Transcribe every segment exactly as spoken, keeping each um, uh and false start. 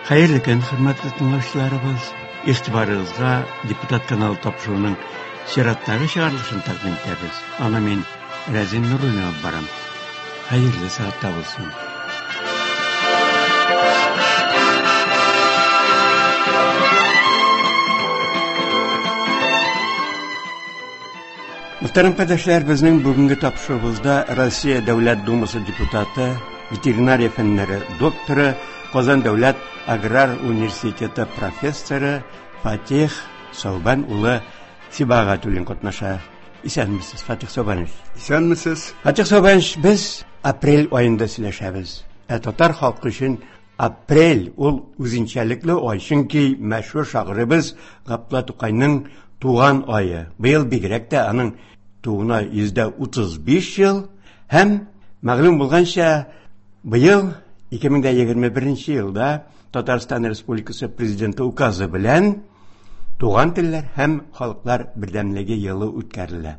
Хәерле көн, хөрмәтле тыңлаучыларыбыз. Игътибарыгызга Депутат каналы тапшыруының чираттагы чыгарылышын тәкъдим итәбез. Аны мин Рәзин Нуруллин алып барам. Хәерле сәгатьтә булсын. Мөхтәрәм кардәшләр, безнең бүгенге тапшыруыбызда Россия Дәүләт Думасы депутаты, ветеринария фәннәре докторы, Казан Дәүләт аграр университеты профессоры Фатих Саубан улы Сибагатуллин катнаша. Исәнмесез, Фатих Саубанович. Исәнмесез. Фатих Саубанович, без апрель аенда сөйләшәбез. Ә татар халкы өчен апрель ул үзенчәлекле ай, чөнки мәшһүр шагыйребез Габдулла Тукайның туган ае. Быел бигрәк тә аның тууына йөз утыз биш ел һәм мәгълүм булганча, быел ике мең егерме беренче елда Татарстан Республикасы Президенты указы белән Туган телләр һәм халыклар бердәмлеге елы үткәрелә.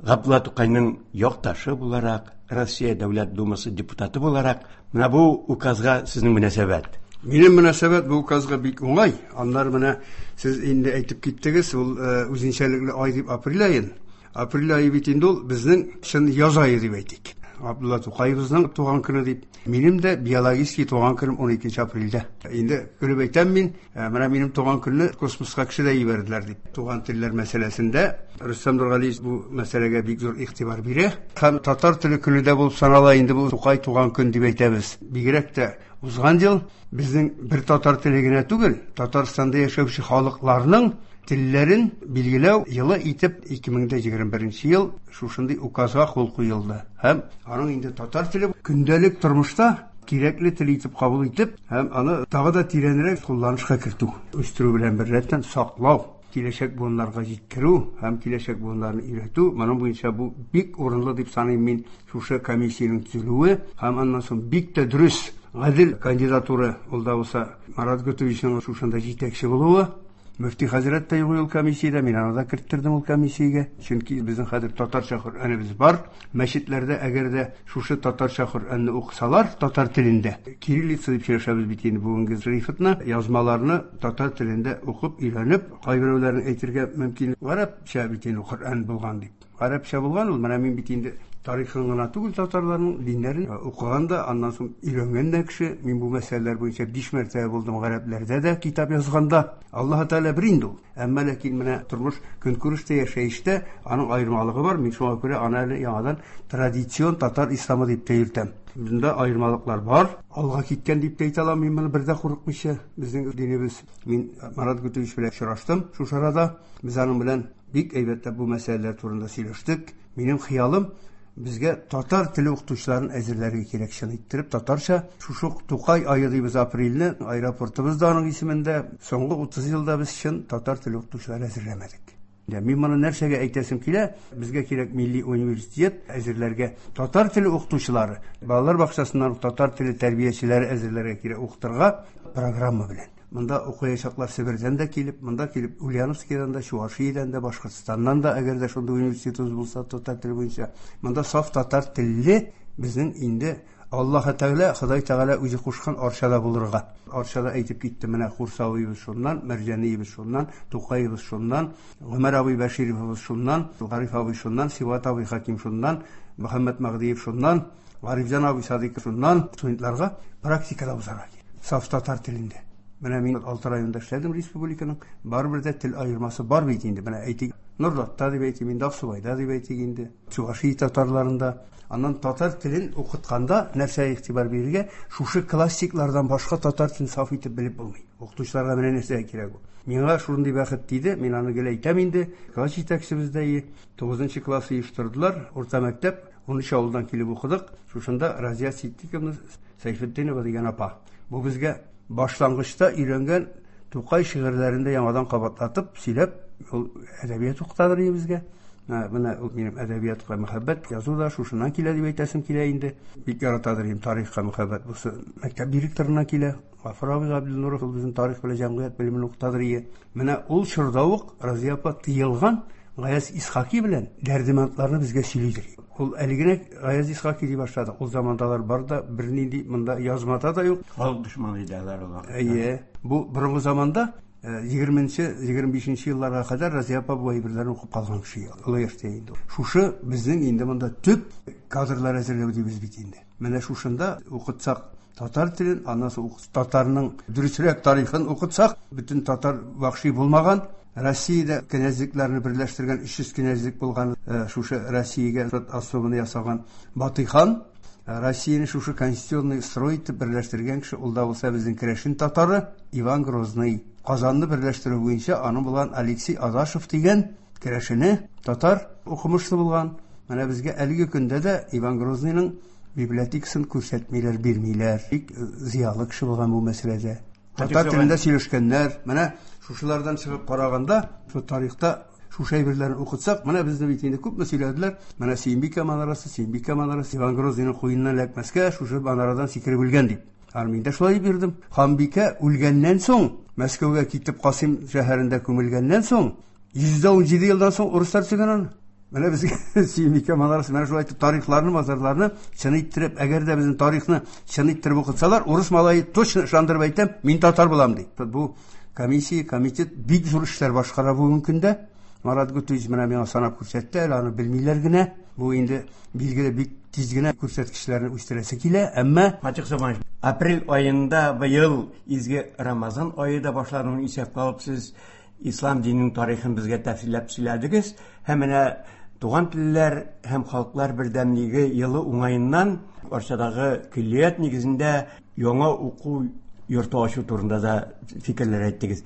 Габдулла Тукайның якташы буларак, Россия Дәүләт Думасы депутаты буларак, менә бу указга сезнең мөнәсәбәт? Минем мөнәсәбәт бу указга бик уңай. Аннары менә сез инде әйтеп киттегез, ул үзенчәлекле ай дип апрель аен. Апрель ае бит инде ул безнең чын яз ае дип әйтик. Габдулла Тукаебызның туган көне дип. Минем дә биологический туган көнем ун икенче апрельдә. Инде көлеп әйтәм мин, менә минем туган көнне космоска кеше дә җибәрделәр дип. Туган телләр мәсьәләсендә Рөстәм Нургалиевич бу мәсьәләгә бик зур игътибар бирә. Һәм татар теле көне дә булып санала инде бу Тукай туган көн дип әйтәбез. Бигрәк тә узган ел безнең бер татар теле генә түгел, Татарстанда яшәүче халыкларның телләрен билгеләү елы итеп ике мең егерме беренче ел шушындый указга кул куелды. Һәм аның инде татар теле көндәлек тормышта кирәкле тел итеп кабул итеп, һәм аны тагы да тирәнрәк кулланышка кертү, үстерү белән беррәттән саклау, киләчәк буыннарга җиткерү һәм киләчәк буыннарны өйрәтү, моның буенча бу бик урынлы дип саныйм мин шушы комиссиянең төзелүе һәм аннан соң бик тә дөрес, гадел кандидатура ул да булса Марат Готовичның шушында җитәкче булуы. Мөфти хәзрәт тә юк ул комиссиядә, мин аны да керттердем ул комиссиягә. Чөнки безнең хәзер татарча Коръәнебез бар. Мәчетләрдә әгәр дә шушы татарча Коръәнне укысалар татар телендә, кириллица дип сөйләшәбез бит инде бүгенге шрифтны, язмаларны татар телендә укып өйрәнеп, кайберәүләрнең әйтергә мөмкин, гарәпчә бит инде Коръән булган дип. Гарәпчә булган ул, менә мин бит инде тарихын гына түгел, татарларның диннәрен укыган да, аннан соң өйрәнгән дә кеше. Мин бу мәсьәләләр буенча биш мәртәбә булдым гарәпләрдә дә китап язганда. Аллаһ Тәгалә бер инде ул. Әмма ләкин менә тормыш көнкүрештә, яшәештә аның аермалыгы бар. Мин шуңа күрә аны әле яңадан традицион татар исламы дип тә йөртәм. Бunda аермалыклар бар. Алга киткән дип тә әйтә алам мин моны бер дә курыкмыйча. Безнең динебез. Мин Марат Готович белән очраштым шушы арада. Без аның белән бик әйбәтләп бу мәсьәләләр турында сөйләштек. Минем хыялым безгә татар теле укытучыларын әзерләргә кирәк, чын иттереп татарча. Шушы Тукай ае дибез апрельне, аэропортыбыз да аның исемендә. Соңгы утыз елда без чын татар теле укытучылары әзерләмәдек. Мин моны нәрсәгә әйтәсем килә? Безгә кирәк милли университет әзерләргә татар теле укытучылары, балалар бакчасыннан татар теле тәрбиячеләре әзерләргә кирәк укытырга программа белән. Монда укыячаклар Себердән дә килеп, монда килеп Ульяновскийдан да, Чувашиядән дә, Башкортстаннан да, әгәр дә шундый университетыбыз булса татар теле буенча. Монда саф татар телле безнең инде Аллаһ Тәгалә, Ходай Тәгалә үзе кушкан Арчада булырга. Арчада әйтеп китте, менә Курсавиебез шуннан, Мәрҗаниебез шуннан, Тукаебыз шуннан, Гомәр абый Бәшировыбыз шуннан, Гариф абый шуннан, Сибгат абый Хаким шуннан, Мөхәммәт Мәгъдиев шуннан, Гарифҗан абый Садыйков шуннан. Студентларга практикада узарга кирәк. Саф татар телендә. Менә мин алты районда эшләдем республиканың, барыбер дә тел аермасы бар бит инде. Менә әйтик, Нурлатта дип әйтим инде, Аксубайда дип әйтик инде, Чувашия татарларында. Аннан татар телен укытканда нәрсәгә игътибар бирергә? Шушы классиклардан башка татар телен саф итеп белеп булмый. Укытучыларга менә нәрсә кирәк ул. Миңа шундый бәхет тиде, мин аны гел әйтәм инде. Класс җитәкчебез дә тугызынчы класс оештырдылар, урта мәктәп, унөч авылдан килеп укыдык. Шушында Разия Ситдиковна Сәйфетдинова дигән апа. Бу безгә башлангычта өйрәнгән Тукай шигырьләрен дә яңадан кабатлатып, сөйләп, ул әдәбият укытадыр безгә. Менә ул минем әдәбиятка мәхәббәт, язу да шушыннан килә дип әйтәсем килә инде. Бик яратадыр инде тарихка мәхәббәт. Бусы мәктәп директорына килә. Гафур абый Габделнуров ул безнең тарих белән җәмгыять белемен укытадыр ие. Менә ул чорда ук Разия апа тыелган Гаяз Исхаки белән Дәрдемәндларны безгә сөйлидер. Ул әле генә Гаяз Исхаки дип башлады. Ул замандалар бар да бернинди монда язмада да юк. Халык дошманы иде алар ул вакытта. Әйе. Бу борынгы заманда егерменче, егерме бишенче елларга кадәр Разия апа бу әйберләрне укып калган кеше. Олы яшьтә инде. Шушы безнең инде монда төп кадрлар әзерләү дибез бит инде. Менә шушында укытсак татар телен, аннан соң татарның дөресрәк тарихын укытсак, бөтен татар вахши булмаган, Россиядә кенәзлекләрне берләштергән өч йөз кенәзлек булган, шушы Россиягә особенно ясаган Батый хан, Россияне шушы конституционный строй итеп берләштергән кеше, ул да булса безнең керәшен татары Иван Грозный. Казанны берләштерү буенча аның булган Алексей Адашев дигән керәшене татар укымышлы булган. Менә безгә әлеге көндә дә Иван Грозныйның библиотекасын күрсәтмиләр, бирмиләр. Бик зыялы кеше булган бу мәсьәләдә. Татар телендә сөйләшкәннәр. Менә шушылардан чыгып караганда, шу тарихта шушы әйберләрне укытсак, менә безне бит инде күпме сөйләделәр. Менә Сөембикә манарасы, Сөембикә манарасы, Иван Грозныйның куеныннан эләкмәскә шушы манарадан сикереп үлгән дип. Һәм мин дә шулай дип йөрдем. Ханбикә үлгәннән соң, Мәскәүгә китеп Касыйм шәһәрендә күмелгәннән соң, йөз дә унҗиде елдан соң урыслар төзегән аны. Менә безгә Сөембикә манарасы, менә шулай итеп тарихларны, мазарларны чын иттереп, әгәр дә безнең тарихны чын иттереп укытсалар, урыс малае точно ышандырып әйтәм, мин татар булам ди. Бу комиссия, комитет бик зур эшләр башкара бүгенге көндә. Марат Гутуевич менә миңа санап күрсәтте, әле аны белмиләр генә. Бу инде билгеле бик тиз генә күрсәткечләрне үстерәсе килә, әмма Фатих Сабанович, апрель аенда быел изге Рамазан ае да башлануын исәпкә алып, сез ислам диненең тарихын безгә тәфсилләп сөйләдегез. Һәм менә туган телләр һәм халыклар бердәмлеге елы уңаеннан Арчадагы көллият нигезендә яңа уку йорты ачу турында да фикерләр әйттегез.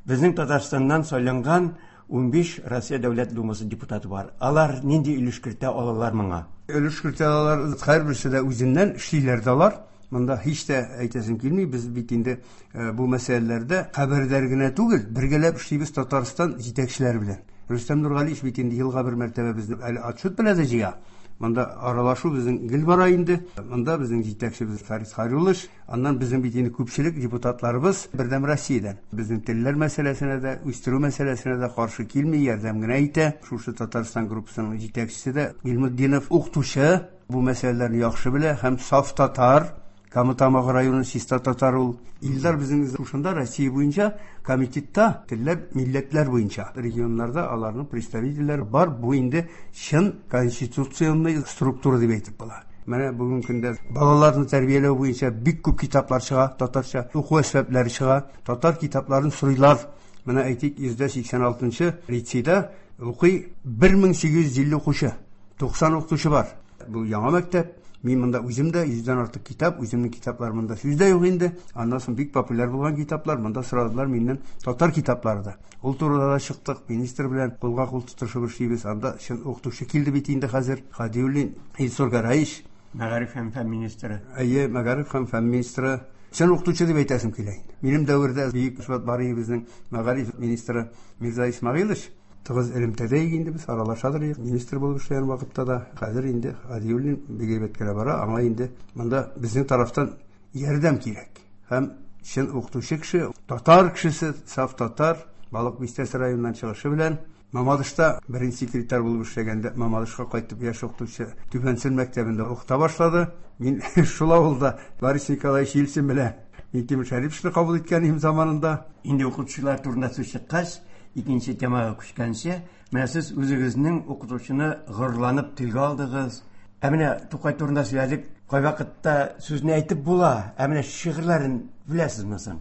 Безнең Татарстаннан сайланган унбиш Россия Дәүләт Думасы депутаты бар. Алар нинди өлеш кертә алалар моңа? Өлеш кертә алалар, һәрберсе дә үзеннән эшлиләр дә алар. Монда һич тә әйтәсем килми, без бит инде бу мәсьәләләрдә хәбәрдар генә түгел, бергәләп эшлибез Татарстан җитәкчеләре белән. Рөстәм Нургалиевич бит инде елга бер мәртәбә безне әле отчет белән дә җыя. Монда аралашу безнең гел бара инде. Монда безнең җитәкчебез Фарис Харулыш, аннан безнең бит инде күпчелек депутатларыбыз Бердәм Россиядән. Безнең телләр мәсьәләсенә дә, үстерү мәсьәләсенә дә каршы килми, ярдәм генә итә. Шушы Татарстан группасының җитәкчесе дә Гыйльметдинов укытучы, бу мәсьәләләрне яхшы белә һәм саф татар. Кама Тамагы районы чиста татар ул. Илдар безнең шушында Россия буенча комитетта телләр, милләтләр буенча регионнарда аларның представительләре бар. Бу инде чын конституционный структура дип әйтеп була. Менә бүгенге көндә балаларны тәрбияләү буенча бик күп китаплар чыга, татарча уку әсбаплары чыга. Татар китапларын сорыйлар. Менә әйтик, йөз сиксән алтынчы лицейда укый бер мең сигез йөз илле укучы, туксан укытучы бар. Бу яңа мәктәп. Мин монда үзем дә йөздән артык китап, үземнең китаплар монда сүз дә юк инде. Аннан соң бик популяр булган китаплар, монда сорадылар миннән татар китаплары да. Ул турыда да чыктык, министр белән кулга кул тотышып эшлибез. Анда чын укытучы килде бит инде хәзер. Хадиуллин Илсур Гараевич, мәгариф һәм фән министры. Әйе, мәгариф һәм фән министры. Чын укытучы дип әйтәсем килә инде. Минем дәвердә бөек Шват Бариевның мәгариф министры Мирза Исмагилович тыгыз элемтәдә инде без аралашадыр идек. Министр булып эшләгән вакытта да хәзер инде Хадиуллин бик әйбәт кенә бара, аңа инде монда безнең тарафтан ярдәм кирәк. Һәм чын укытучы кеше, татар кешесе, саф татар, Балык Бистәсе районыннан чыгышы белән Мамадышта беренче секретарь булып эшләгәндә Мамадышка кайтып яшь укытучы Түбән Сөн мәктәбендә укыта башлады. Мин шул авылда Борис Николаевич Ельцин белән Минтимер Шәриповичны кабул иткән идем заманында. Инде укытучылар турында сүз чыккач, икенче темага күчкәнче, менә сез үзегезнең укытучыны горурланып телгә алдыгыз. Ә менә Тукай турында сөйләдек, кайвакытта сүзне әйтеп була, ә менә шигырьләрен беләсезме соң?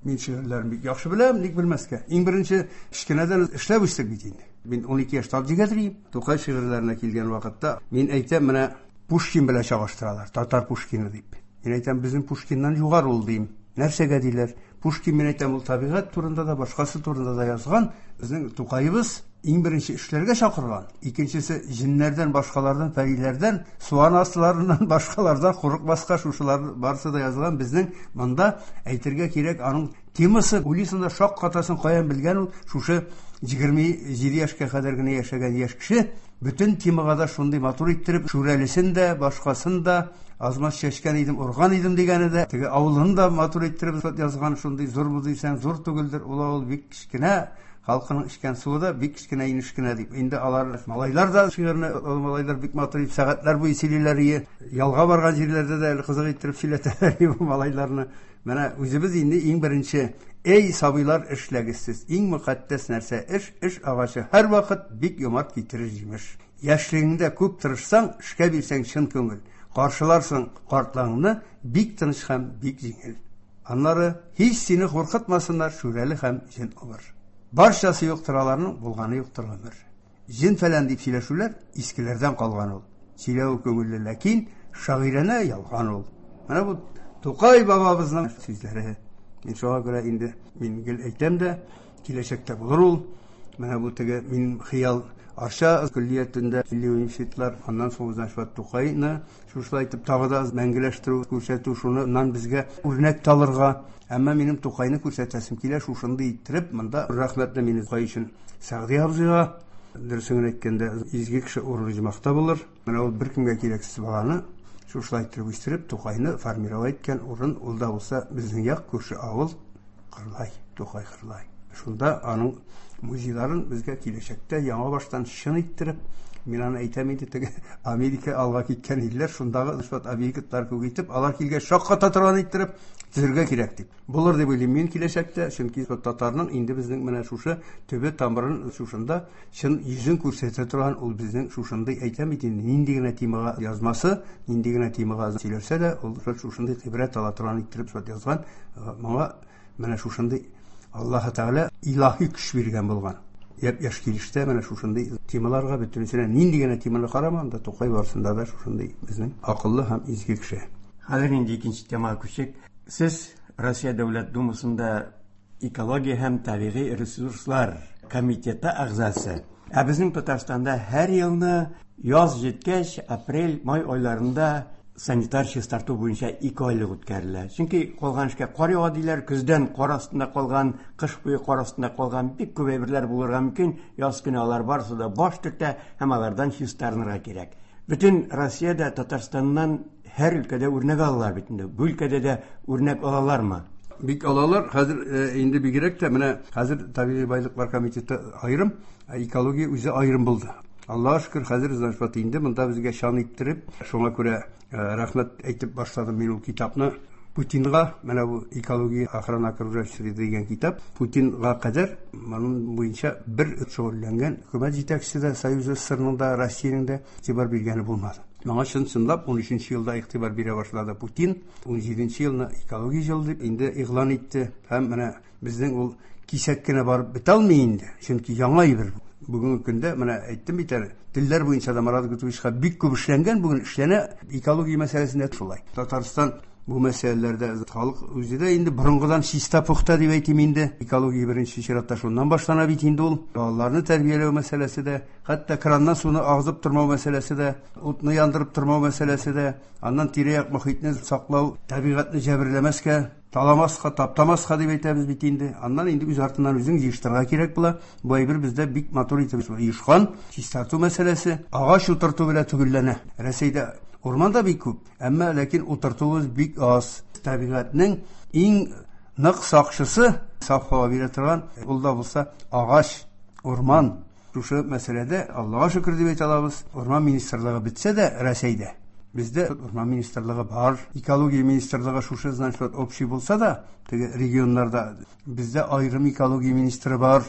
Мин шигырьләрен бик яхшы беләм, ник белмәскә. Иң беренче кечкенәдән эшләп үстек бит инде. Мин ун ике яшьтә җигәдер. Тукай шигырьләренә килгән вакытта мин әйтәм, менә Пушкин белән чагыштыралар, татар Пушкины дип. Мин әйтәм, безнең Пушкиннан югары ул дим. Нәрсәгә диләр? Пушкин, мин әйтәм, ул табигать турында да, башкасы турында да язган. Безнең Тукаебыз иң беренче эшләргә чакырган. Икенчесе җиннәрдән, башкалардан, пәриләрдән, суан астыларыннан, башкалардан курыкмаска, шушылар барысы да язылган. Безнең монда әйтергә кирәк, аның Темасы уйлыйсың да шаккатасың, каян белгән ул шушы егерме җиде яшькә кадәр генә яшәгән яшь кеше бөтен темага да шундый матур иттереп, Шүрәлесен дә, башкасын да, азмаз чәчкән идем, урган идем дигәне дә, теге авылын да матур иттереп язган, шундый зур бу дисәң, зур түгелдер, ул авыл бик кечкенә, халкының эчкән суы да бик кечкенә инеш кенә дип. Инде алар малайлар да шигырьне, ул малайлар бик матур итеп сәгатьләр буе сөйлиләр ие. Ялга барган җирләрдә дә әле кызык иттереп сөйләтәләр бу малайларны. Менә үзебез инде иң беренче, эй сабыйлар, эшләгез сез. Иң мөкатдәс нәрсә эш, эш агачы һәрвакыт бик юмарт китерер җимеш. Яшьлегеңдә күп тырышсаң, эшкә бирсәң чын күңел. Каршыларсың картлыгыңны бик тыныч һәм бик җиңел. Аннары һич сине куркытмасыннар Шүрәле һәм җен убыр. Барчасы юктыр аларның, булганы юктыр гомер. Җен фәлән дип сөйләшүләр искеләрдән калган ул. Сөйләү күңелле, ләкин шагыйрәнә ялган ул. Менә бу Тукай бабабызның сүзләре. Мин шуңа күрә инде мин гел әйтәм дә, киләчәктә булыр ул. Менә бу теге минем хыял Арча көллиятендә милли университетлар, аннан соң значит Тукайны шушылай итеп тагы да мәңгеләштерү, күрсәтү, шуннан безгә үрнәк талырга. Әмма минем Тукайны күрсәтәсем килә, шушындый иттереп, монда рәхмәтле мине Тукай өчен Сәгъди абзыйга, дөресен генә әйткәндә, изге кеше урыны җомахта булыр. Менә ул беркемгә кирәксез баланы шушылай иттереп үстереп, Тукайны формировать иткән урын, ул да булса безнең як, күрше авыл Кырлай, Тукай Кырлай. Шунда аның музейларын безгә киләчәктә яңа баштан чын иттереп, мин аны әйтәм инде, теге Америка алга киткән илләр, шундагы шул объектлар күп итеп, алар килгәч шакката торган иттереп төзергә кирәк дип. Булыр дип уйлыйм мин киләчәктә, чөнки татарның инде безнең менә шушы төбе тамырын шушында чын йөзен күрсәтә торган ул безнең шушындый, әйтәм бит инде, нинди генә темага язмасы, нинди генә темага сөйләсә дә, ул шушындый гыйбрәт ала торган иттереп шул язган. Моңа менә шушындый Аллаһы Тәгалә илаһи көч биргән булган. Япь-яшь килештә менә шушындый темаларга бөтенесенә нинди генә теманы карама, анда Тукай барысында да шушындый безнең акыллы һәм изге кеше. Хәзер инде икенче темага күчик. Сез Россия Дәүләт Думасында экология һәм табигый ресурслар комитеты әгъзасы. Ә безнең Татарстанда һәр елны яз җиткәч, апрель, май айларында санитар чистарту буенча ике айлык үткәрелә. Чөнки калган эшкә кар ява диләр, көздән кар астында калган, кыш буе кар астында калган бик күп әйберләр булырга мөмкин. Яз көне алар барысы да баш төртә һәм алардан чистарынырга кирәк. Бөтен Россиядә Татарстаннан һәр өлкәдә үрнәк алалар бит инде. Бу өлкәдә дә үрнәк алалармы? Бик алалар. Хәзер инде бигрәк тә менә хәзер табигый байлыклар комитеты аерым, экология үзе аерым булды. Аллаһ шөкер, хәзер значит инде монда безгә чан иттереп, шуңа күрә рәхмәт әйтеп башладым мин ул китапны Путинга, менә бу экология охрана окружающей среды дигән китап Путинга кадәр моның буенча бер шөгыльләнгән хөкүмәт җитәкчесе дә, Союз СССРның да, Россиянең дә игътибар биргәне булмады. Моңа чын-чынлап ун өченче елда игътибар бирә башлады Путин, ун җиденче елны экология елы дип инде игълан итте һәм менә безнең ул кисәк кенә барып бетә алмый инде, чөнки яңа әйбер. Бүгенге көндә менә әйттем бит әле, телләр буенча да Марат Гутовичка бик күп эшләнгән, бүген эшләнә экология мәсьәләсендә шулай. Татарстан бу мәсьәләләрдә халык үзе дә инде борынгыдан чиста пөхтә дип әйтим инде. Экология беренче чиратта шуннан башлана бит инде ул. Балаларны тәрбияләү мәсьәләсе дә, хәтта краннан суны агызып тормау мәсьәләсе дә, утны яндырып тормау мәсьәләсе дә, аннан тирә-як мохитне саклау, табигатьне җәберләмәскә, таламаска, таптамаска дип әйтәбез бит инде. Аннан инде үз артыннан үзең җыештырырга кирәк була. Бу әйбер бездә бик матур итеп оешкан. Чистарту мәсьәләсе агач утырту белән төгәлләнә. Рәсәйдә урман да бик күп, әмма ләкин утыртуыбыз бик аз. Табигатьнең иң нык сакчысы, саф һава бирә торган, ул да булса агач, урман. Шушы мәсьәләдә Аллаһка шөкер дип әйтә алабыз. Урман министрлыгы бетсә дә Рәсәйдә бездә урман министрлыгы бар, экология министрлыгы шушы значит общий булса да, теге регионнарда бездә аерым экология министры бар.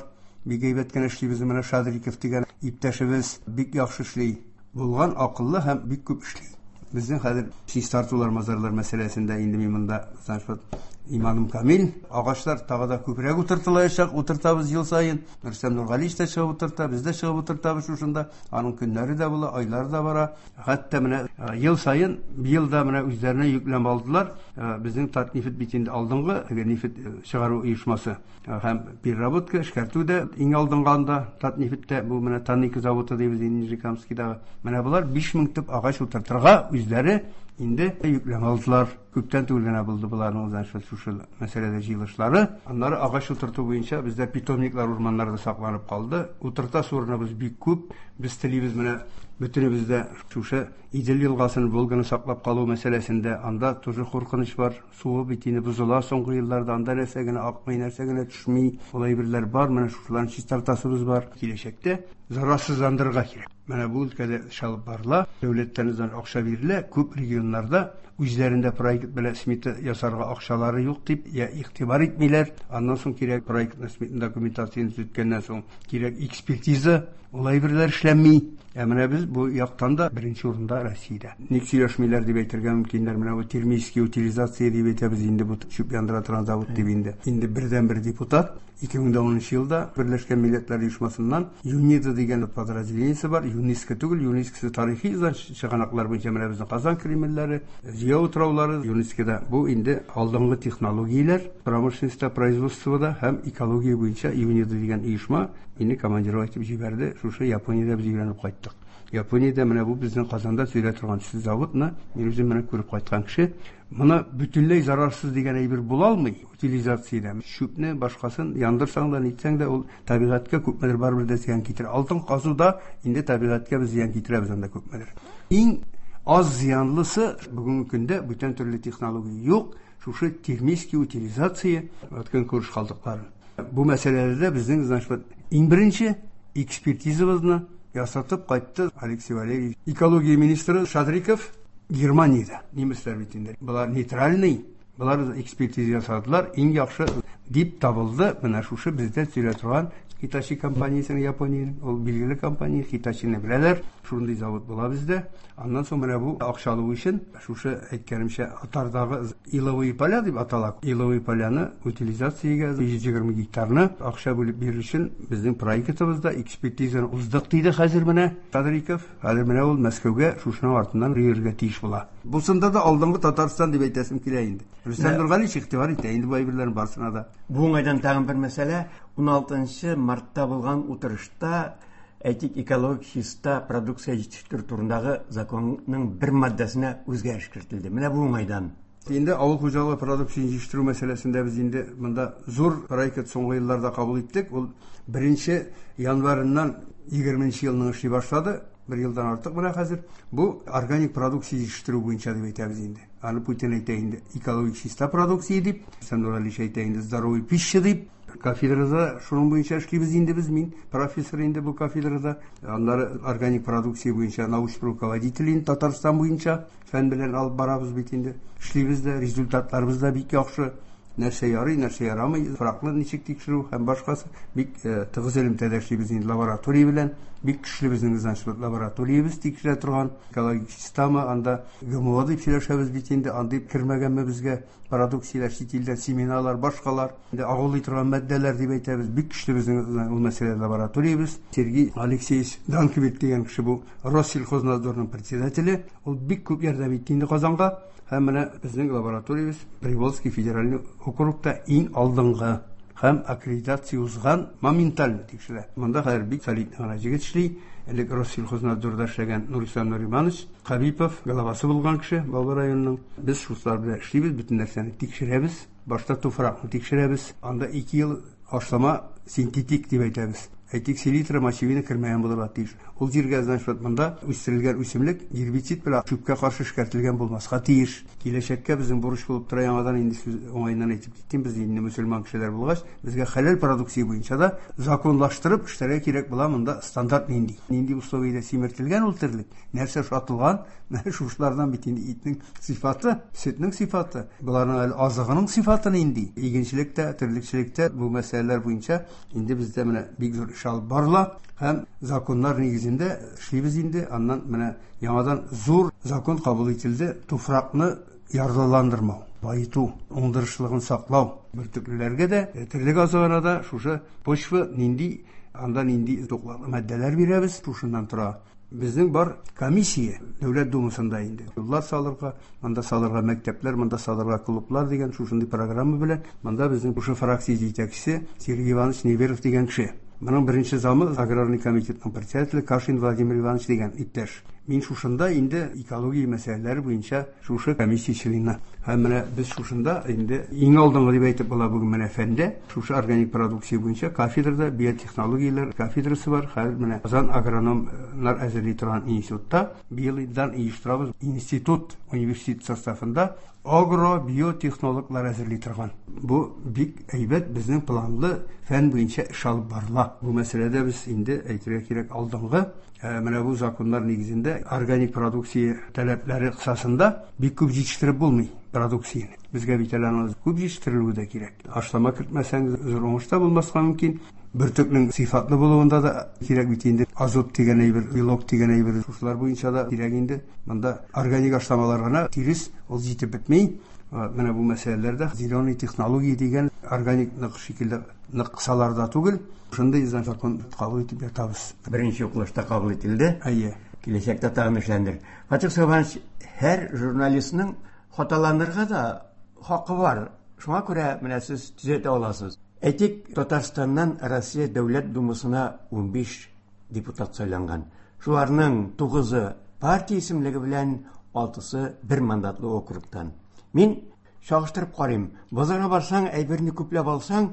Бик әйбәт кенә эшли безнең менә Шадриков дигән иптәшебез, бик яхшы эшли. Булган акыллы һәм бик күп эшли. Безнең хәзер чистартулар, мазарлар мәсьәләсендә инде мин монда значит иманым камил. Агачлар тагы да күбрәк утыртылачак, утыртабыз ел саен. Рөстәм Нургалиевич та чыгып утырта, без дә чыгып утыртабыз шушында. Аның көннәре дә була, айлары да бара. Хәтта менә ел саен, быел да менә үзләренә йөкләп алдылар. Безнең Татнефть бит инде алдынгы нефть чыгару оешмасы һәм переработка, эшкәртү дә иң алдынгы анда Татнефтьтә, бу менә Танника заводы дибез инде Нижнекамскийдагы. Менә болар биш мең төп агач утыртырга үзләре инде йөкләмә алдылар. Күптән түгел генә булды боларның, значит, шушы мәсьәләдә җыелышлары. Аннары агач утырту буенча бездә питомниклар урманнарда сакланып калды. Утыртасы урыныбыз бик күп. Без телибез менә бөтенебез дә шушы Идел елгасын, Волганы саклап калу мәсьәләсендә анда тоже куркыныч бар. Суы бит инде бозыла соңгы елларда, анда нәрсә генә акмый, нәрсә генә төшми. Ул әйберләр бар, менә шушыларны чистартасыбыз бар. Киләчәктә зарарсызландырырга кирәк. Менә бу өлкәдә эш алып барыла. Дәүләттән акча бирелә. Күп регионнарда үзләрендә проект белән смета ясарга акчалары юк дип я игътибар итмиләр. Аннан соң кирәк проектны смета документацияне төзеткәннән соң кирәк экспертиза, ул әйберләр эшләнми. Ә менә без бу яктан да беренче урында Россиядә. Ник сөйләшмиләр дип әйтергә мөмкиннәр. Менә бу термический утилизация дип әйтәбез инде, бу чүп яндыра торган завод дип инде. Инде бердән-бер депутат ике мең унынчы елда Берләшкән Милләтләр Оешмасыннан ЮНИДА дигән подразделениесе бар. ЮНЕСКО түгел, ЮНЕСКО тарихи чыганаклар буенча менә безнең Казан Кремльләре, Зөя утраулары ЮНЕСКОда. Бу инде алдынгы технологияләр, промышленностьта, производствода һәм экология буенча ЮНИДА дигән оешма мине командировать итеп җибәрде. Шушы Япониядә без өйрәнеп кайттык. Япониядә менә бу безнең Казанда сөйлә торган заводны мин үзем менә күреп кайткан кеше. Моны бөтенләй зарарсыз дигән әйбер була алмый утилизациядә. Чүпне башкасын яндырсаң да, нитсәң дә ул табигатькә күпмедер барыбер дә зыян китерә. Алтын казуда инде табигатькә без зыян китерәбез анда күпмедер. Иң аз зыянлысы бүгенге көндә бүтән төрле технология юк. Шушы термический утилизация көнкүреш калдыклары. Бу мәсьәләләрдә безнең, значит, иң беренче экспертизабызны ясатып кайтты Алексей Валерьевич. Экология министры Шадриков Германиядә. Немецлар бит инде. Болар нейтральный, болар экспертиза ясадылар, иң яхшы дип табылды. Менә шушы бездә сөйлә торган Хитачи компаниясенең, Япониянең, ул билгеле компания, Хитачины беләләр. Шундый завод була бездә. Аннан соң менә бу акча алу өчен шушы әйткәнемчә Атардагы иловые поля дип атала. Иловые поляны утилизациягә йөз егерме гектарны акча бүлеп бирер өчен безнең проектыбызда экспертизаны уздык диде хәзер менә Шадриков. Хәзер менә ул Мәскәүгә шушының артыннан йөрергә тиеш була. Бусында да алдынгы Татарстан дип әйтәсем килә инде. Рөстәм Нургалиевич игътибар итә инде бу әйберләрнең барысына да. Бу уңайдан тагын бер мәсьәлә. Уналтынчы мартта булган утырышта әйтик экологик чиста продукция җитештерү турындагы законның бер маддәсенә үзгәреш кертелде. Менә бу уңайдан. Инде авыл хуҗалыгы продукциясен җитештерү мәсьәләсендә без инде монда зур проект соңгы елларда кабул иттек. Ул беренче январыннан егерменче елның эшли башлады. Бер елдан артык менә хәзер. Бу органик продукция җитештерү буенча дип әйтәбез инде. Аны Путин әйтә инде экологик чиста продукция дип, Рөстәм Нургалиевич әйтә инде здоровый пища дип. Кафедрада шуның буенча эшлибез инде без, мин профессор инде бу кафедрада. Аннары органик продукция буенча научный руководитель инде Татарстан буенча фән белән алып барабыз бит инде. Эшлибез дә, результатларыбыз да бик яхшы. Нәрсә ярый, нәрсә ярамый, туфракны ничек тикшерү һәм башкасы бик тыгыз элемтәдә эшлибез инде лаборатория белән. Бик көчле безнең, значит, лабораториябез тикшерә торган экологик система, анда ГМО дип сөйләшәбез бит инде, андый кермәгәнме безгә продукцияләр, чит илдән семеналар, башкалар, инде агулый торган матдәләр дип әйтәбез. Бик көчле безнең ул мәсьәлә лабораториябез. Сергей Алексеевич Данкович дигән кеше бу Россельхознадзорның председателе, ул бик күп ярдәм итте инде Казанга. Һәм менә безнең лабораториябез Приволжский федеральный округта иң алдынгы һәм аккредитация узган моментально тикшерә. Монда хәзер бик солидный гына җегет эшли. Элек Россельхознадзорда эшләгән Нурислам Нуриманович Хабипов главасы булган кеше Баулы районының. Без шулар белән эшлибез, бөтен нәрсәне тикшерәбез. Башта туфракны тикшерәбез. Анда ике ел ашлама синтетик дип әйтәбез. Әйтик, селитра, мочевина кермәгән булырга тиеш. Ул җиргә, значит, монда үстерелгән үсемлек гербицид белән чүпкә каршы эшкәртелгән булмаска тиеш. Киләчәккә безнең бурыч булып тора, яңадан инде сүз уңаеннан әйтеп киттем, без инде мөселман кешеләр булгач, безгә хәләл продукция буенча да законлаштырып эшләргә кирәк була. Монда стандарт нинди? Нинди условиядә симертелгән ул терлек? Нәрсә шатылган? Менә шушылардан бит инде итнең сыйфаты, сөтнең сыйфаты, боларның әле азыгының сыйфаты нинди? Игенчелектә, терлекчелектә бу мәсьәләләр буенча инде бездә менә бик зур эш алып барыла һәм законнар нигезендә эшлибез инде. Аннан менә яңадан зур закон кабул ителде. Туфракны ярлыландырмау, баету, уңдырышлыгын саклау. Бөртеклеләргә дә, терлек азыгына да шушы почва нинди, анда нинди туклыклы матдәләр бирәбез, шушыннан тора. Безнең бар комиссия Дәүләт Думасында инде. Юллар салырга, монда салырга мәктәпләр, монда салырга клублар дигән шушындый программа белән монда безнең шушы фракция җитәкчесе Сергей Иванович Неверов дигән кеше. Моның беренче замы аграрный комитетның председателе Кашин Владимир Иванович дигән иптәш. Мин шушында инде экология мәсьәләләре буенча шушы комиссия члены. Һәм менә без шушында инде иң алдынгы дип әйтеп була бүген менә фәндә шушы органик продукция буенча кафедрада биотехнологияләр кафедрасы бар. Хәзер менә Казан агрономнар әзерли торган институтта быелдан оештырабыз институт университет составында агробиотехнологлар әзерли торган. Бу бик әйбәт безнең планлы фән буенча эш алып барыла. Бу мәсьәләдә без инде әйтергә кирәк алдынгы менә бу законнар нигезендә органик продукция таләпләре кысасында бик күп җитештереп булмый продукцияне. Безгә бит әле аны күп җитештерелүе дә кирәк. Ашлама кертмәсәң зур уңыш та булмаска мөмкин. Бөртекнең сыйфатлы булуында да кирәк бит инде. Азот дигән әйбер, белок дигән әйбер, шушылар буенча да кирәк инде. Монда органик ашламалар гына тирес ул җитеп бетми. Менә бу мәсьәләләрдә зеленый технология дигән органик нык шикелле нык кысаларда түгел, шундый закон кабул итеп ятабыз. Беренче укылышта кабул ителде. Әйе. Киләчәктә тагын эшләнер. Фатих Сабанович, һәр журналистның хаталанырга да хакы бар. Шуңа күрә менә сез төзәтә аласыз. Әйтик, Татарстаннан Россия Дәүләт Думасына унбиш депутат сайланган. Шуларның тугызы партия исемлеге белән, алтысы бер мандатлы округтан. Мин чагыштырып карыйм. Базарга барсаң, әйберне күпләп алсаң,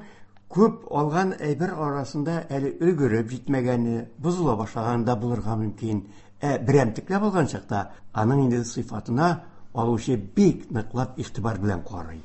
күп алган әйбер арасында әле өлгереп җитмәгәне, бозыла башлаганы да булырга мөмкин. Ә берәмтекләп алган чакта аның инде сыйфатына алучы бик ныклап игътибар белән карый.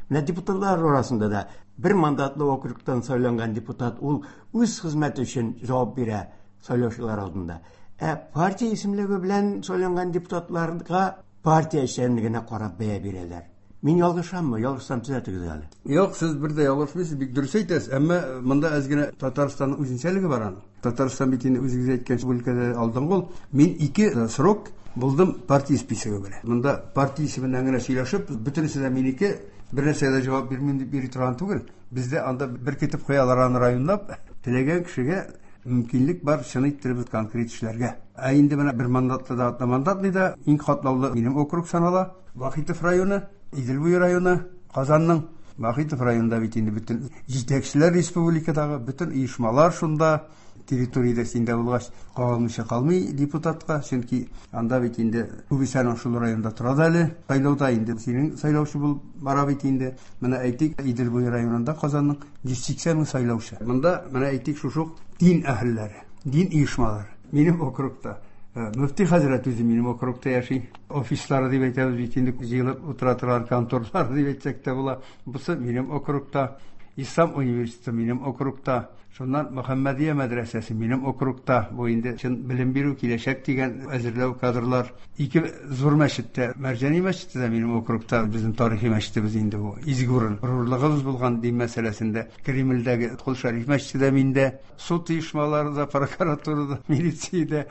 Менә депутатлар арасында да бер мандатлы округтан сайланган депутат ул үз хезмәте өчен җавап бирә сайлаучылар алдында. Ә партия исемлеге белән сайланган депутатларга партия эшчәнлегенә карап бәя бирәләр. Мин ялгышаммы? Ялгышсам төзәтегез әле. Юк, сез бер дә ялгышмыйсыз, бик дөрес әйтәсез. Әмма монда әз генә Татарстанның үзенчәлеге бар аның. Татарстан бит инде үзегез әйткән бу өлкәдә алдынгы ул. Мин ике срок булдым партия списогы белән. Монда партия исеменнән генә сөйләшеп, бөтенесе дә минеке, бер нәрсәгә дә җавап бирмим дип йөри торган түгел. Бездә анда беркетеп куялар аны районлап, теләгән кешегә мөмкинлек бар чын иттереп конкрет эшләргә. Ә инде менә бер мандатлы да, одномандатлы да иң катлаулы минем округ санала. Вахитов районы, Идел буе районы, Казанның Вахитов районында бит инде бөтен җитәкчеләр республикадагы бөтен оешмалар шунда территориядә синдә булгач кагылмыйча калмый депутатка, чөнки анда бит инде күбесе аның шул районда тора да әле. Сайлауда инде синең сайлаучы булып бара бит инде. Менә әйтик, Идел буе районында Казанның йөз сиксән мең сайлаучы. Монда менә әйтик шушы ук дин әһелләре, дин оешмалары. Минем округта Мөфти хәзрәт үзе минем округта яши. Офислары дип әйтәбез бит инде, җыелып утыра торган конторлар дип әйтсәк тә була. Бусы минем округта. Ислам университеты минем округта. Шуннан Мөхәммәдия мәдрәсәсе минем округта. Бу инде чын белем бирү киләчәк дигән әзерләү кадрлар. Ике зур мәчеттә, Мәрҗани мәчете дә минем округта, безнең тарихи мәчетебез инде бу. Изге урын, горурлыгыбыз булган дин мәсьәләсендә. Кремльдәге Кол Шәриф мәчете дә миндә. Суд оешмалары да, прокуратурада, милициядә,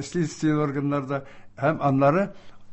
следствие органнарда һәм аннары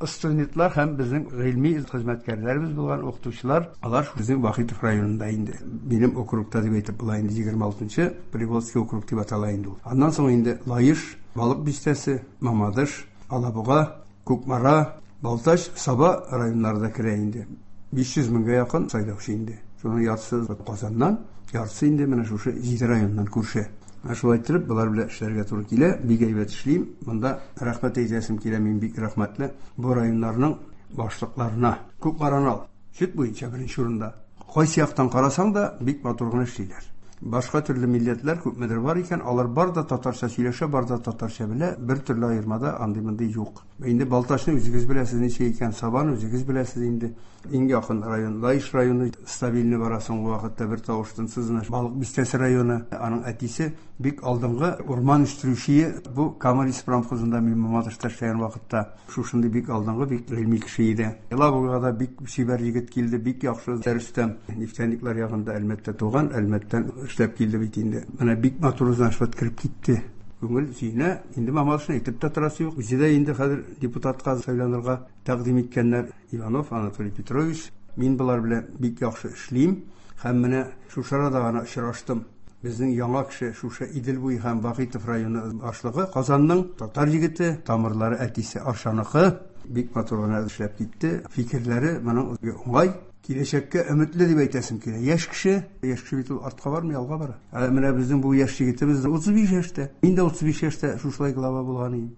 студентлар һәм безнең гыйльми хезмәткәрләребез булган укытучылар, алар безнең Вахитов районында инде. Минем округта дип әйтеп була инде, егерме алтынчы Приволжский округ дип атала инде ул. Аннан соң инде Лаеш, Балык бистәсе, Мамадыш, Алабуга, Кукмара, Балтач, Саба районнары да керә инде. Биш йөз меңгә якын сайлаучы инде. Шуның яртысы Казаннан, яртысы инде менә шушы җиде районнан күрше. Ә шулай иттереп, болар белән эшләргә туры килә. Бик әйбәт эшлим. Монда рәхмәт әйтәсем килә, мин бик рәхмәтле бу районнарның башлыкларына. Кукмараны ал. Сөт буенча беренче урында. Кайсы яктан карасаң да, бик матур гына эшлиләр. Башка төрле милләтләр күпмедер бар икән, алар бар да татарча сөйләшә, бар да татарча белә, бер төрле аермада андый-мондый юк. Инде Балтачны үзегез беләсез ничә икән, Сабаны үзегез беләсез инде. Иң якын район Лаеш районы, стабильный бара соңгы вакытта бер тавыш тынсыз гына. Балык бистәсе районы, аның әтисе бик алдынгы урман үстерүче, бу Кама леспромхозында мин Мамадышта эшләгән вакытта шушындый бик алдынгы, бик гыйльми кеше иде. Елабугага да бик чибәр егет килде, бик яхшы Рөстәм. Нефтяниклар ягында Әлмәттә туган, Әлмәттән эшләп килде бит инде. Менә бик матур значит кереп китте. Күңел сөенә, инде Мамадышны әйтеп тә торасы юк. Үзе дә инде хәзер депутатка сайланырга тәкъдим иткәннәр. Иванов Анатолий Петрович, мин болар белән бик яхшы эшлим. Һәм менә шушы арада гына очраштым. Безнең яңа кеше шушы Идел буе һәм Вахитов районы башлыгы, Казанның татар егете, тамырлары әтисе Аршаныкы, бик матур гына эшләп китте. Фикерләре моның уңай, киләчәккә өметле дип әйтәсем килә. Яшь кеше, яшь кеше бит ул артка бармый, алга бара. Ә менә безнең бу яшь егетебез утыз биш яшьтә. Мин дә утыз биш яшьтә шушылай глава булган идем.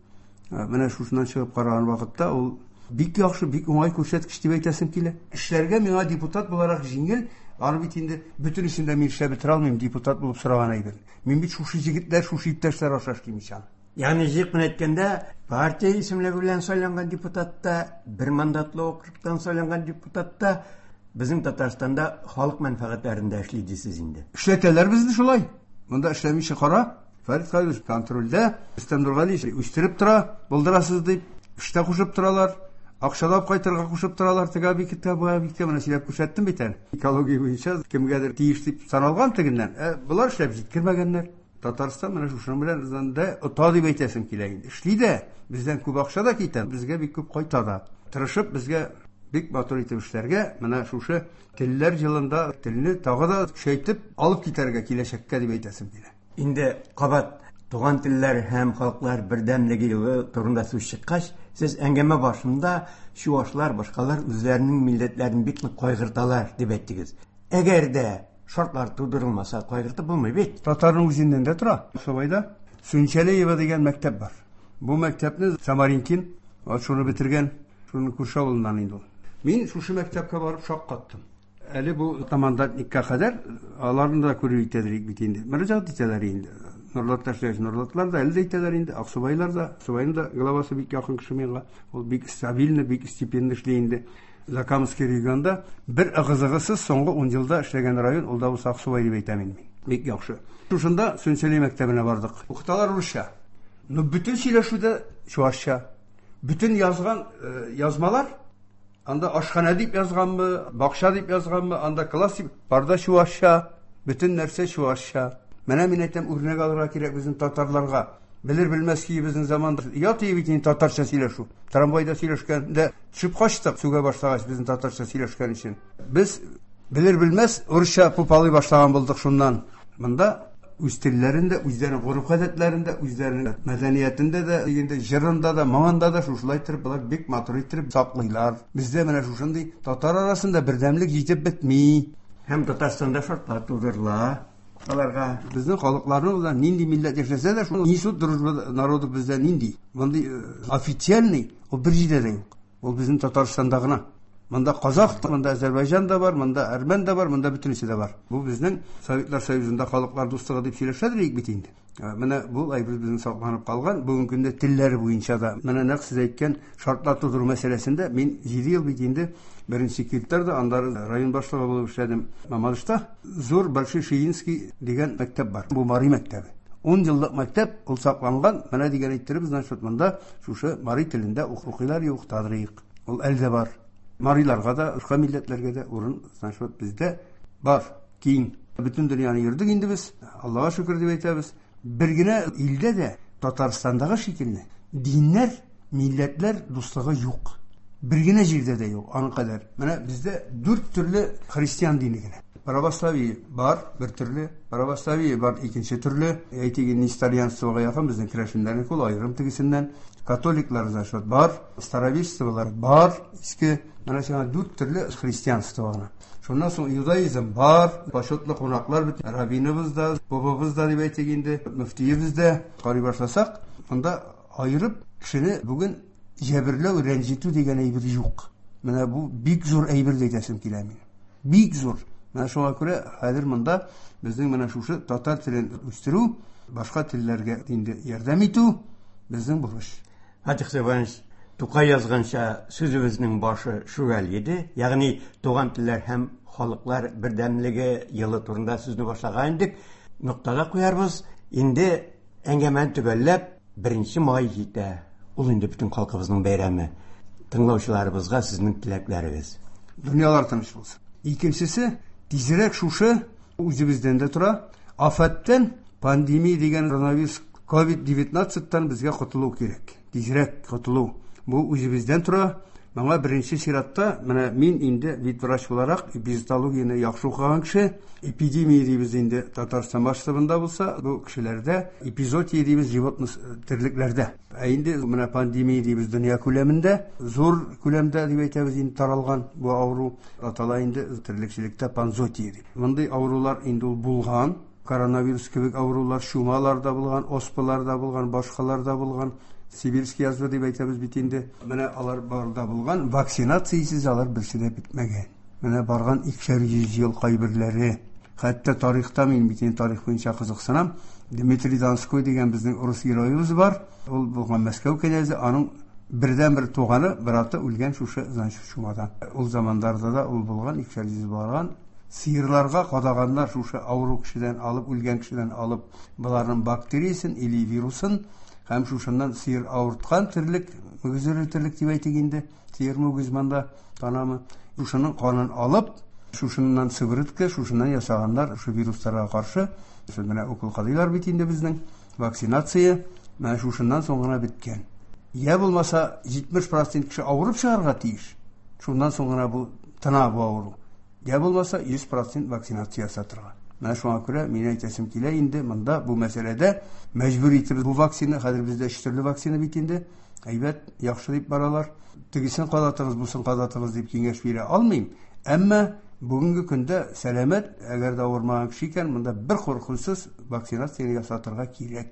Менә шушыннан чыгып караган вакытта ул бик яхшы, бик уңай күрсәткеч дип әйтәсем килә. Эшләргә миңа депутат буларак җиңел, аны бит инде бөтенесен дә мин эшләп бетерә алмыйм, депутат булып сораган әйбер. Мин бит шушы җегетләр, шушы иптәшләр аша эшлим ич аны. Ягъни җыек менә әйткәндә, партия исемлеге белән сайланган депутат та, бер мандатлы округтан сайланган депутат та безнең Татарстанда халык мәнфәгатьләрендә эшли дисез инде. Эшләтәләр безне шулай. Монда эшләмичә кара. Фәрит Хәйруллович контрольдә, Рөстәм Нургалиевич үстереп тора, булдырасыз дип, эштә кушып торалар. Акчалап кайтырга кушып торалар, теге объектка, бу объектка менә сөйләп күрсәттем бит әле. Экология буенча кемгәдер тиеш дип саналган тегеннән. Ә болар эшләп җиткермәгәннәр. Татарстан менә шушының белән дә ота дип әйтәсем килә инде. Эшли дә, бездән күп акча да китә, безгә бик күп кайта да. Тырышып безгә бик матур итеп эшләргә, менә шушы телләр елында телне тагы да көчәйтеп алып китәргә киләчәккә дип әйтәсем килә. Инде кабат туган телләр һәм халыклар бердәмлеге елы турында сүз чыккач, сез әңгәмә башында чуашлар, башкалар үзләренең милләтләрен бик нык кайгырталар дип әйттегез. Әгәр дә шартлар тудырылмаса, кайгыртып булмый бит. Татарның үзеннән дә тора. Сабайда Сүнчәлеева дигән мәктәп бар. Бу мәктәпне Самаринкин, вот шуны бетергән, шуның күрше авылыннан инде ул. Мин шушы мәктәпкә барып шаккаттым. Әле бу командантникка кадәр аларны да күреп итәдер бит инде. Мөрәҗәгать итәләр инде. Нурлатта эшләгән нурлатлар да әле дә итәләр инде. Аксубайлар да, Аксубайның да главасы бик якын кеше миңа. Ул бик стабильный, бик степенный эшли инде. Закамский регионда бер ыгы-зыгысыз соңгы ун елда эшләгән район, ул да булса Аксубай дип әйтәм инде мин. Бик яхшы. Шушында Сүнчәләй мәктәбенә бардык. Укыталар русча. Но бөтен сөйләшүдә чуашча. Бөтен язган, э, язмалар анда ашхана дип язганмы, бакча дип язганмы, анда класс дип, барда чуашча, бөтен нәрсә чуашча. Менә мин әйтәм, үрнәк алырга кирәк безнең татарларга. Белер белмәс ки безнең заманда ят бит инде татарча сөйләшү. Трамвайда сөйләшкәндә төшеп качтык, сүгә башлагач безнең татарча сөйләшкән өчен. Без белер белмәс урысча пупалый башлаган булдык шуннан. Монда үз телләрендә, үзләренең гореф-гадәтләрендә, үзләренең мәдәниятендә дә, инде җырында да, моңында да шушылай итеп болар бик матур итеп саклыйлар. Бездә менә шушындый татар арасында бердәмлек җитеп бетми. Һәм Татарстанда шартлар тудырыла. Аларга безнең халыкларның да нинди милләт яшәсә дә, шул институт дружбы народов бездә нинди? Мондый официальный ул бер җирдә дә юк. Ул безнең Татарстанда гына. Монда казах, монда Азәрбайҗан да бар, монда әрмән дә бар, монда бөтенесе дә бар. Бу безнең Советлар Союзында халыклар дуслыгы дип сөйләшәдер бит инде. Менә бу әйбер безнең сакланып калган. Бүгенге көндә телләр буенча да менә нәкъ сез әйткән шартлар тудыру мәсьәләсендә мин җиде ел бит инде беренче секретарь да, аннары район башлыгы булып эшләдем Мамадышта. Зур Большой Шиинский дигән мәктәп бар. Бу Мари мәктәбе. Ун еллык мәктәп, ул сакланган. Менә дигән әйттереп, значит, монда шушы мари телендә укыйлар, укытадырык. Ул әле дә бар. Мариларга да, башка милләтләргә дә урын, значит, бездә бар. Киң. Бөтен дөньяны йөрдек инде без. Аллага шөкер дип әйтәбез. Бер генә илдә дә Татарстандагы шикелле диннәр, милләтләр дуслыгы юк. Бер генә җирдә дә юк аның кадәр. Менә бездә дүрт төрле христиан дине генә. Православие бар, бер төрле, православие бар, икенче төрле. Әйтик, несторьянствога якын безнең керәшеннәрнең ул аерым тегесеннән. Католиклар, значит, бар, староверчестволар бар, иске, менә сиңа дүрт төрле христианство гына. Шуннан соң иудаизм бар, почетлы кунаклар бит, раввиныбыз да, бабабыз да дип әйтик инде, мөфтиебез дә. Карый башласак, монда аерып кешене бүген җәберләү, рәнҗетү дигән әйбер юк. Менә бу бик зур әйбер дип әйтәсем килә минем. Бик зур. Менә шуңа күрә хәзер монда безнең менә шушы татар телен үстерү, башка телләргә инде ярдәм итү безнең бурыч. Фатих Сәфәрович, Тукай язганча сүзебезнең башы шүгәл иде, ягъни туган телләр һәм халыклар бердәмлеге елы турында сүзне башлаган идек. Ноктада куярбыз. Инде әңгәмәне төгәлләп, беренче май җитә. Ул инде бөтен халкыбызның бәйрәме. Тыңлаучыларыбызга сезнең теләкләрегез. Дөньялар тыныч булсын. Икенчесе, тизрәк шушы үзебездән дә тора. Афәттән, пандемия дигән коронавирус ковид девятнадцатьтан безгә котылу кирәк. Тизрәк котылу. Бу үзебездән тора. Моңа беренче чиратта, менә мин инде ветврач буларак эпизоотологияне яхшы укыган кеше, эпидемия дибез инде Татарстан масштабында булса, бу кешеләрдә эпизоотия дибез животных терлекләрдә. Ә инде менә пандемия дибез дөнья күләмендә, зур күләмдә дип әйтәбез инде таралган бу авыру атала инде терлекчелектә панзоотия дип. Мондый авырулар инде ул булган, коронавирус кебек авырулар чумалар да булган, оспалар да булган, башкалар да булган. Сибирский язва дип әйтәбез бит инде. Менә алар барда булган, вакцинациясез алар берсе дә бетмәгән. Менә барган икешәр йөз ел кайберләре. Хәтта тарихта мин бит инде тарих буенча кызыксынам. Дмитрий Донской дигән безнең урыс героебыз бар. Ул булган Мәскәү князе, аның бердән-бер туганы, браты үлгән шушы, значит, чумадан. Ул замандарда да ул булган, икешәр йөз барган. Сыерларга кадаганнар шушы авыру кешедән алып, үлгән кешедән алып, боларның бактериясен или вирусын һәм шушыннан сыер авырткан терлек, мөгезле терлек дип әйтик инде, сыер мөгез монда танамы, шушының канын алып, шушыннан сыворотка, шушыннан ясаганнар шу вирусларга каршы. Менә укол кадыйлар бит инде безнең вакцинация, менә шушыннан соң гына беткән. Я булмаса җитмеш процент кеше авырып чыгарга тиеш. Шуннан соң гына бу тына бу авыру. Я булмаса йөз процент вакцинация ясатырга. Менә шуңа күрә мин әйтәсем килә инде монда бу мәсьәләдә мәҗбүр итеп бу вакцина, хәзер бездә өч төрле вакцина бит инде. Әйбәт, яхшы дип баралар. Тегесен кадатыгыз, бусын кадатыгыз дип киңәш бирә алмыйм. Әмма бүгенге көндә сәламәт, әгәр дә авырмаган кеше икән, монда бер куркынычсыз вакцинацияне ясатырга кирәк.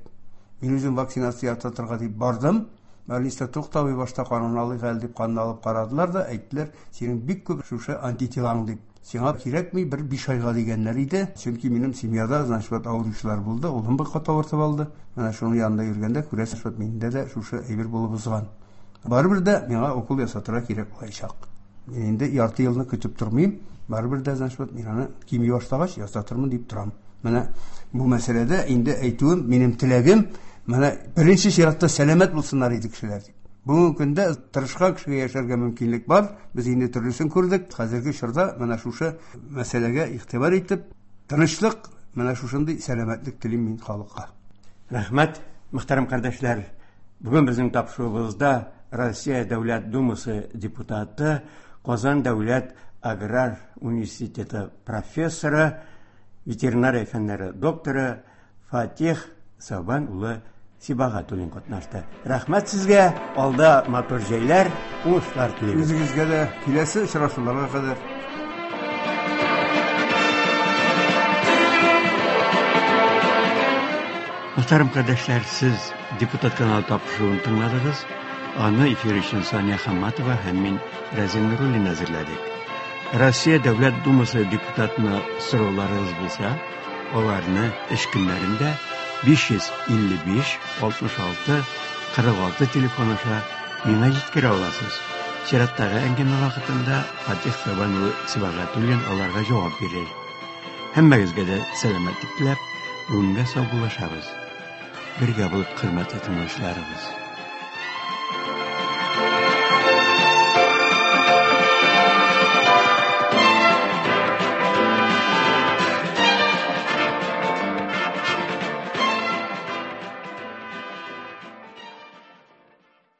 Мин үзем вакцинация ясатырга дип бардым. Больниста туктабый башта канын алыйк әле дип канны алып карадылар да, әйттеләр, синең бик күп шушы антителаң дип. Сиңа кирәкми бер биш айга дигәннәр иде. Чөнки минем семьяда, значит, вот авыручылар булды, улым бер кат авыртып алды. Менә шуның янында йөргәндә күрәсез, вот миндә дә шушы әйбер булып узган. Барыбер дә миңа укол ясатырга кирәк булачак. Мин инде ярты елны көтеп тормыйм. Барыбер дә, значит, вот мин аны кими башлагач ясатырмын дип торам. Менә бу мәсьәләдә инде әйтүем, минем теләгем, менә беренче чиратта сәламәт булсыннар иде кешеләр дип. Бүгенге көндә тырышкан кешегә яшәргә мөмкинлек бар. Без инде төрлесен күрдек. Хәзерге чорда менә шушы мәсьәләгә игътибар итеп, тынычлык, менә шушындый сәламәтлек телим мин халыкка. Рәхмәт, мөхтәрәм кардәшләр. Бүген безнең тапшыруыбызда Россия Дәүләт Думасы депутаты, Казан Дәүләт Аграр университеты профессоры, ветеринария фәннәре докторы Фатих Сәүбән улы Сибагатуллин катнашты. Рәхмәт сезгә, алда матур җәйләр, уңышлар телибез. Үзегезгә дә киләсе очрашуларга кадәр. Мөхтәрәм кардәшләр, сез депутат каналы тапшыруын тыңладыгыз. Аны эфир өчен Сания Хамматова һәм мин Рәзин Нуруллин әзерләдек. Россия Дәүләт Думасы депутатына сорауларыгыз булса, аларны эш көннәрендә биш йөз илле биш, алтмыш алты, кырык алты телефон аша миңа җиткерә аласыз. Чираттагы әңгәмә вакытында Фатих Сәүбән улы Сибагатуллин аларга җавап бирер. Һәммәгезгә дә сәламәтлек теләп, бүгенгә саубуллашабыз. Бергә булып хөрмәтле тыңлаучыларыбыз.